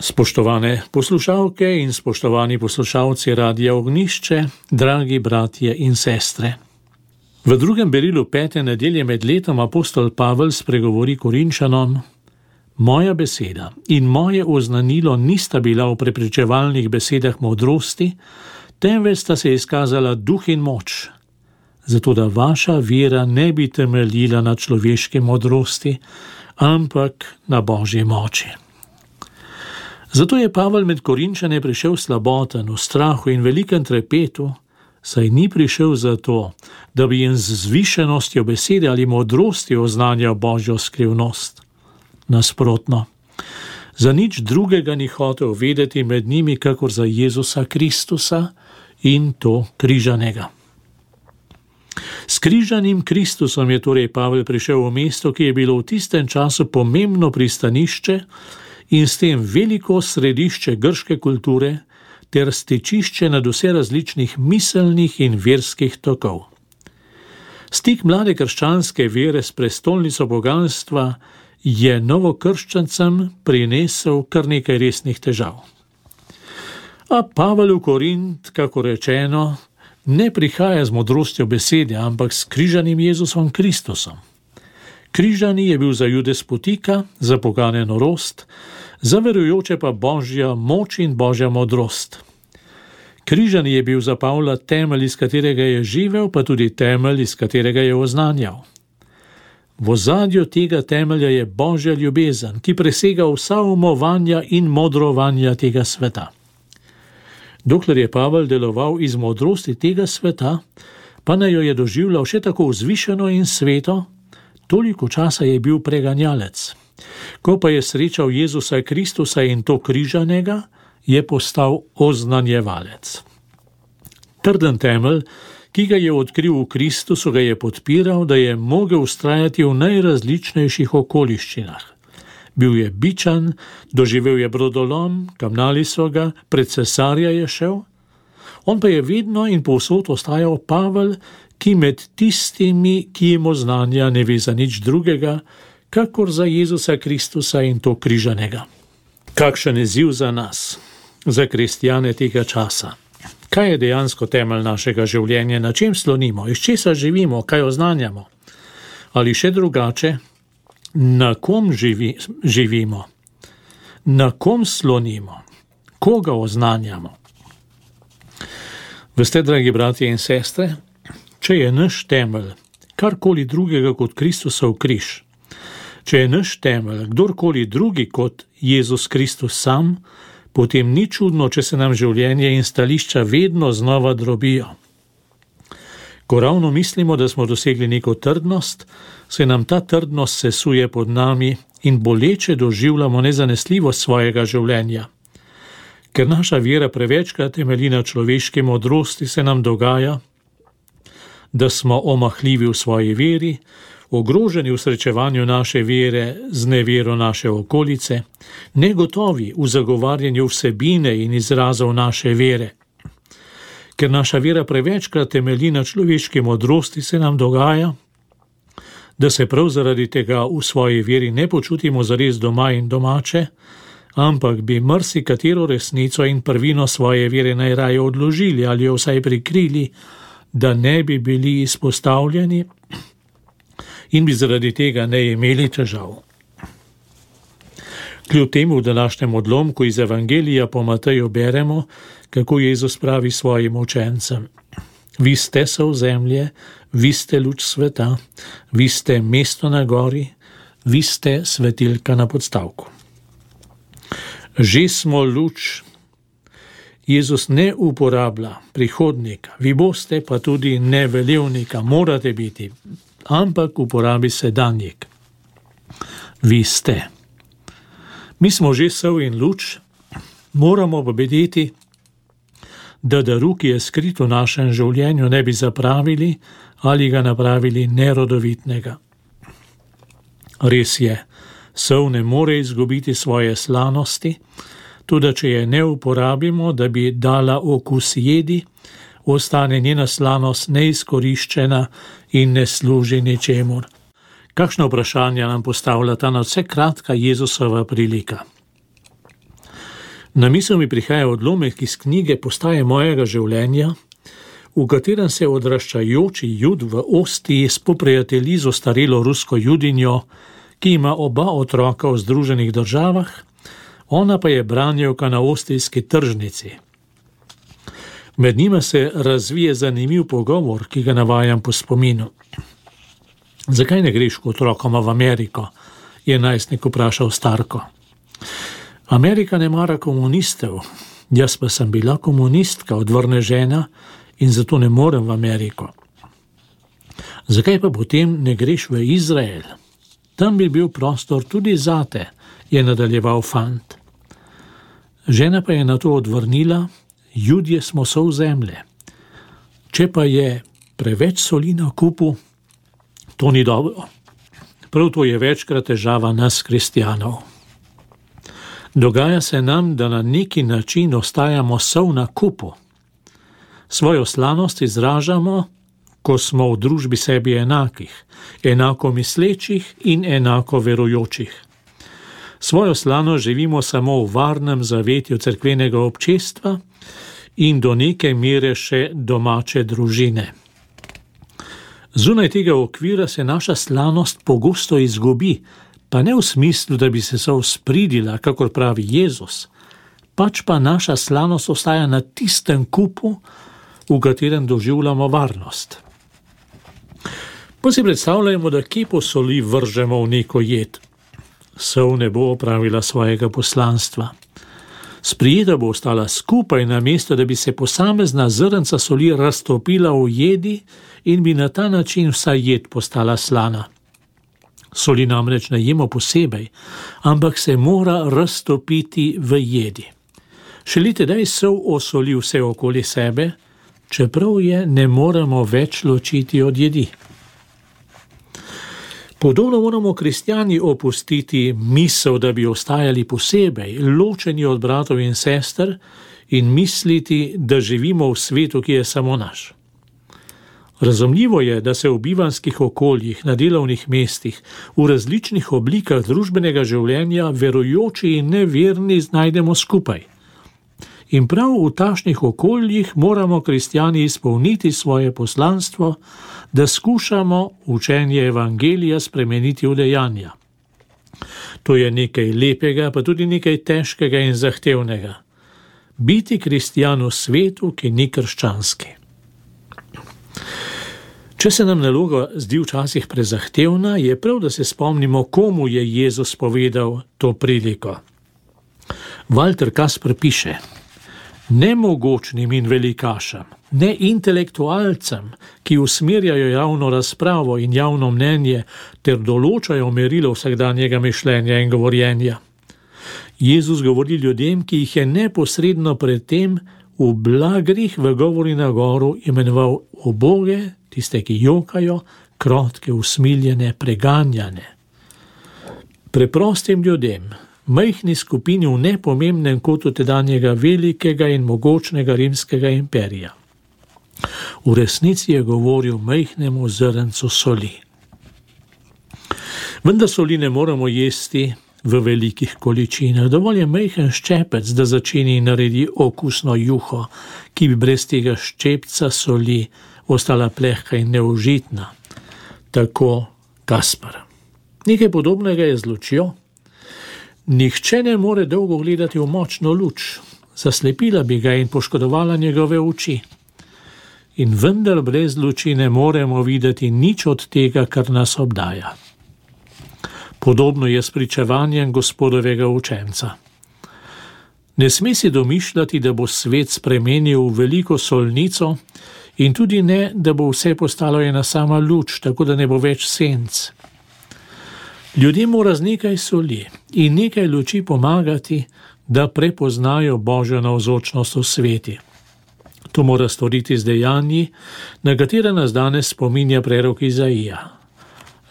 Spoštovane poslušalke in spoštovani poslušalci Radia Ognjišče, dragi bratje in sestre. V drugem berilu 5. nedelje med letom apostol Pavel spregovori Korinčanom: Moja beseda in moje oznanilo nista bila v prepričevalnih besedah modrosti, temveč sta se izkazala duh in moč, zato da vaša vera ne bi temeljila na človeški modrosti, ampak na Božji moči. Zato je Pavel med Korinčane prišel slaboten, v strahu in velikem trepetu, saj ni prišel zato, da bi jim z zvišenostjo besede ali modrosti oznanjal Božjo skrivnost. Nasprotno, za nič drugega ni hotel vedeti med njimi, kakor za Jezusa Kristusa in to križanega. S križanim Kristusom je torej Pavel prišel v mesto, ki je bilo v tistem času pomembno pristanišče in s tem veliko središče grške kulture ter stičišče nad vse različnih miselnih in verskih tokov. Stik mlade krščanske vere s prestolnico boganstva je novokrščancem prinesel kar nekaj resnih težav. A Pavel v Korint, kako rečeno, ne prihaja z modrostjo besede, ampak s križanim Jezusom Kristusom. Križani je bil za Jude spotika, za pogane norost, za verujoče pa Božja moč in Božja modrost. Križani je bil za Pavla temelj, iz katerega je živel, pa tudi temelj, iz katerega je oznanjal. V ozadju tega temelja je Božja ljubezen, ki presega vsa umovanja in modrovanja tega sveta. Dokler je Pavel deloval iz modrosti tega sveta, pa naj jo je doživljal še tako vzvišeno in sveto, toliko časa je bil preganjalec. Ko pa je srečal Jezusa Kristusa in to križanega, je postal oznanjevalec. Trden temelj, ki ga je odkril v Kristusu, ga je podpiral, da je mogel vztrajati v najrazličnejših okoliščinah. Bil je bičan, doživel je brodolom, kamnali so ga, pred cesarja je šel. On pa je vedno in povsod ostajal Pavel, ki med tistimi, ki jim oznanja, ne ve za nič drugega, kakor za Jezusa Kristusa in to križanega. Kakšen izziv za nas, za kristjane tega časa. Kaj je dejansko temelj našega življenja, na čem slonimo, iz česa živimo, kaj oznanjamo? Ali še drugače, na kom živimo, na kom slonimo, koga oznanjamo? Veste, dragi bratje in sestre, če je naš temelj karkoli drugega kot Kristusov križ, če je naš temelj kdorkoli drugi kot Jezus Kristus sam, potem ni čudno, če se nam življenje in stališča vedno znova drobijo. Ko ravno mislimo, da smo dosegli neko trdnost, se nam ta trdnost sesuje pod nami in boleče doživljamo nezanesljivost svojega življenja. Ker naša vera prevečkrat temelji na človeški modrosti, se nam dogaja, da smo omahljivi v svoji veri, ogroženi v srečevanju naše vere z nevero naše okolice, negotovi v zagovarjanju vsebine in izrazov naše vere. Ker naša vera prevečkrat temelji na človeški modrosti, se nam dogaja, da se prav zaradi tega v svoji veri ne počutimo zares doma in domače, ampak bi marsikatero resnico in prvino svoje vere najraje odložili ali jo vsaj prikrili, da ne bi bili izpostavljeni in bi zaradi tega ne imeli težav. Kljub temu v današnjem odlomku iz Evangelija po Mateju beremo, kako Jezus pravi svojim učencem: Vi ste sol zemlje, vi ste luč sveta, vi ste mesto na gori, vi ste svetilka na podstavku. Že smo luč. Jezus ne uporablja prihodnika, vi boste pa tudi ne velevnika, morate biti, ampak uporabi sedanjik. Vi ste. Mi smo že sol in luč, moramo pa vedeti, da daru, ki je skrit v našem življenju, ne bi zapravili ali ga napravili nerodovitnega. Res je, sol ne more izgubiti svoje slanosti, tudi če je ne uporabimo, da bi dala okus jedi, ostane njena slanost neizkoriščena in ne služi ničemur. Kakšno vprašanje nam postavlja ta nadvse kratka Jezusova prilika? Na misel mi prihaja odlomek iz knjige Postaje mojega življenja, v katerem se odraščajoči Jud v Ostiji spoprijatelji z ostarelo rusko judinjo, ki ima oba otroka v Združenih državah, ona pa je branjevka na ostijski tržnici. Med njima se razvije zanimiv pogovor, ki ga navajam po spominu. Zakaj ne greš k otrokoma v Ameriko? Je najstnik vprašal starko. Amerika ne mara komunistov, jaz pa sem bila komunistka, odvrne žena, in zato ne morem v Ameriko. Zakaj pa potem ne greš v Izrael? Tam bi bil prostor tudi zate, je nadaljeval fant. Žena pa je na to odvrnila, Judje smo sol zemlje. Če pa je preveč soli na kupu, to ni dobro. Prav to je večkrat težava nas, kristjanov. Dogaja se nam, da na neki način ostajamo sol na kupu. Svojo slanost izražamo, ko smo v družbi sebi enakih, enako mislečih in enako verujočih. Svojo slanost živimo samo v varnem zavetju cerkvenega občestva in do neke mere še domače družine. Zunaj tega okvira se naša slanost pogosto izgubi, pa ne v smislu, da bi se spridila, kakor pravi Jezus, pač pa naša slanost ostaja na tistem kupu, v katerem doživljamo varnost. Pa si predstavljamo, da kepo soli vržemo v neko jed. Sol ne bo opravila svojega poslanstva. Sprijeta bo ostala skupaj, namesto da bi se posamezna zrnca soli raztopila v jedi in bi na ta način vsa jed postala slana. Soli namreč ne jemo posebej, ampak se mora raztopiti v jedi. Šele tedaj sol osoli vse okoli sebe, čeprav je ne moremo več ločiti od jedi. Podobno moramo kristjani opustiti misel, da bi ostajali posebej, ločeni od bratov in sester in misliti, da živimo v svetu, ki je samo naš. Razumljivo je, da se v bivanskih okoljih, na delovnih mestih, v različnih oblikah družbenega življenja verujoči in neverni znajdemo skupaj. In prav v takšnih okoljih moramo kristjani izpolniti svoje poslanstvo, da skušamo učenje evangelija spremeniti v dejanja. To je nekaj lepega, pa tudi nekaj težkega in zahtevnega. Biti kristjan v svetu, ki ni krščanski. Če se nam naloga zdi včasih prezahtevna, je prav, da se spomnimo, komu je Jezus povedal to priliko. Walter Kasper piše: nemogočnim in velikašem, ne intelektualcem, ki usmerjajo javno razpravo in javno mnenje ter določajo merilo vsakdanjega mišljenja in govorjenja. Jezus govori ljudem, ki jih je neposredno predtem v blagrih v govori na goru imenoval uboge, tiste, ki jokajo, krotke, usmiljene, preganjane. Preprostim ljudem, majhni skupini v nepomembnem kotu tedanjega velikega in mogočnega rimskega imperija. V resnici je govoril majhnemu zrncu soli. Vendar soli ne moramo jesti v velikih količinah. Dovolj je majhen ščepec, da začini in naredi okusno juho, ki bi brez tega ščepca soli ostala plehka in neužitna. Tako Kasper. Nekaj podobnega je z lučjo. Nihče ne more dolgo gledati v močno luč, zaslepila bi ga in poškodovala njegove oči. In vendar brez luči ne moremo videti nič od tega, kar nas obdaja. Podobno je s pričevanjem Gospodovega učenca. Ne sme si domišljati, da bo svet spremenil v veliko solnico in tudi ne, da bo vse postalo ena sama luč, tako da ne bo več senc. Ljudem mora z nekaj soli in nekaj luči pomagati, da prepoznajo Božjo navzočnost v sveti. To mora storiti z dejanji, na katere nas danes spominja prerok Izaija.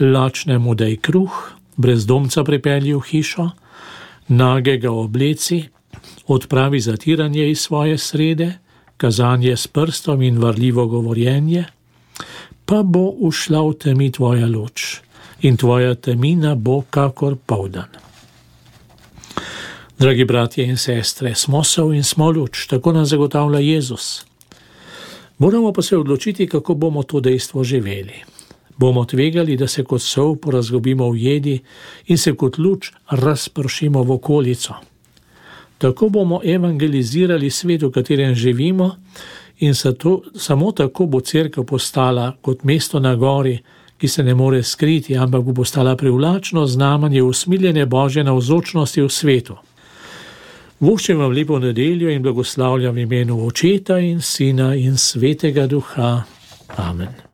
Lačnemu daj kruh, brezdomca pripelji v hišo, nagega obleci, odpravi zatiranje iz svoje srede, kazanje s prstom in varljivo govorjenje, pa bo ušla v temi tvoja luč in tvoja temina bo kakor poldan. Dragi bratje in sestre, smo sol in smo luč, tako nam zagotavlja Jezus. Moramo pa se odločiti, kako bomo to dejstvo živeli. Bomo tvegali, da se kot sol porazgobimo v jedi in se kot luč razpršimo v okolico. Tako bomo evangelizirali svet, v katerem živimo, in samo tako bo cerkev postala kot mesto na gori, ki se ne more skriti, ampak bo postala privlačno znamenje usmiljene Božje navzočnosti v svetu. Voščem vam lepo nedeljo in blagoslavljam v imenu Očeta in Sina in Svetega Duha. Amen.